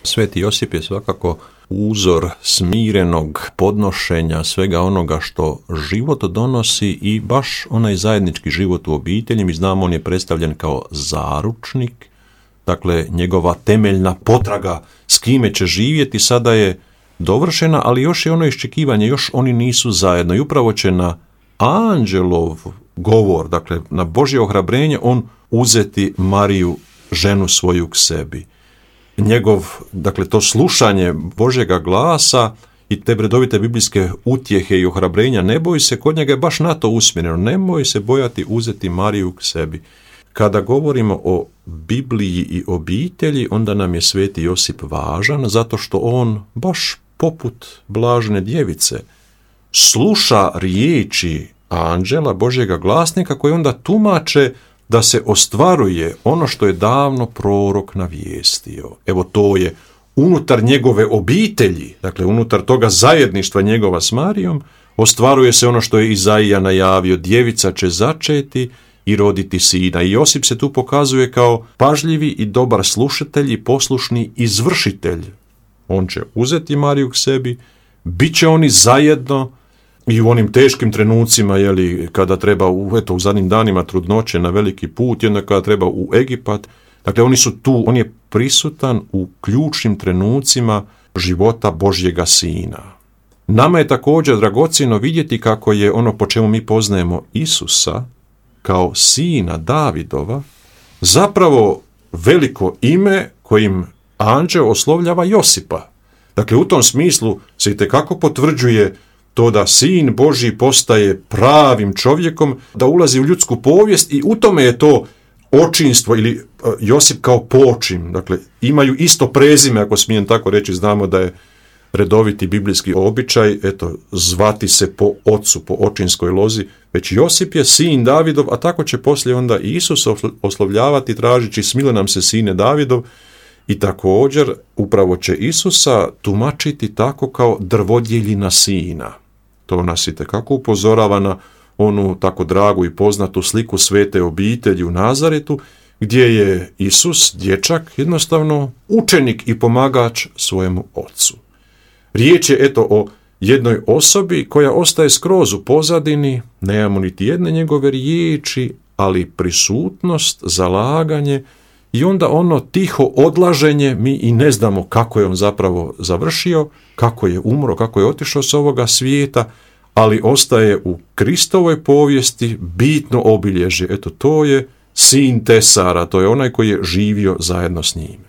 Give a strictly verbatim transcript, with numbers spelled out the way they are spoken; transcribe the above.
Sveti Josip je svakako uzor smirenog podnošenja svega onoga što život donosi i baš onaj zajednički život u obitelji. Mi znamo, on je predstavljen kao zaručnik, dakle njegova temeljna potraga s kime će živjeti sada je dovršena, ali još je ono iščekivanje, još oni nisu zajedno i upravo će na anđelov govor, dakle na Božje ohrabrenje, on uzeti Mariju, ženu svoju k sebi. Njegov, dakle to slušanje Božjega glasa i te redovite biblijske utjehe i ohrabrenja, ne boj se, kod njega je baš na to usmjereno, nemoj se bojati uzeti Mariju k sebi. Kada govorimo o Bibliji i obitelji, onda nam je Sveti Josip važan, zato što on, baš poput blažene djevice, sluša riječi anđela, Božjega glasnika, koji onda tumače da se ostvaruje ono što je davno prorok navijestio. Evo, to je unutar njegove obitelji, dakle unutar toga zajedništva njegova s Marijom, ostvaruje se ono što je Izaija najavio, djevica će začeti i roditi sina. I Josip se tu pokazuje kao pažljivi i dobar slušatelj i poslušni izvršitelj. On će uzeti Mariju k sebi, bit će oni zajedno i u onim teškim trenucima, jeli, kada treba u, eto, u zadnjim danima trudnoće na veliki put, i onda kada treba u Egipat. Dakle, oni su tu, on je prisutan u ključnim trenucima života Božjega Sina. Nama je također dragocjeno vidjeti kako je ono po čemu mi poznajemo Isusa kao sina Davidova zapravo veliko ime kojim anđeo oslovljava Josipa. Dakle, u tom smislu se itekako potvrđuje to da sin Božji postaje pravim čovjekom, da ulazi u ljudsku povijest i u tome je to očinstvo ili Josip kao počin. Dakle, imaju isto prezime, ako smijem tako reći, znamo da je redoviti biblijski običaj, eto, zvati se po ocu, po očinskoj lozi, već Josip je sin Davidov, a tako će poslije onda Isus oslovljavati tražići smile nam se sine Davidov, i također upravo će Isusa tumačiti tako kao drvodjeljina sina. To nas itekako upozorava na onu tako dragu i poznatu sliku svete obitelji u Nazaretu, gdje je Isus, dječak, jednostavno učenik i pomagač svojemu ocu. Riječ je eto o jednoj osobi koja ostaje skroz u pozadini, nemamo niti jedne njegove riječi, ali prisutnost, zalaganje i onda ono tiho odlaženje, mi i ne znamo kako je on zapravo završio, kako je umro, kako je otišao s ovoga svijeta, ali ostaje u Kristovoj povijesti bitno obilježje. Eto, to je sin Tesara, to je onaj koji je živio zajedno s njim.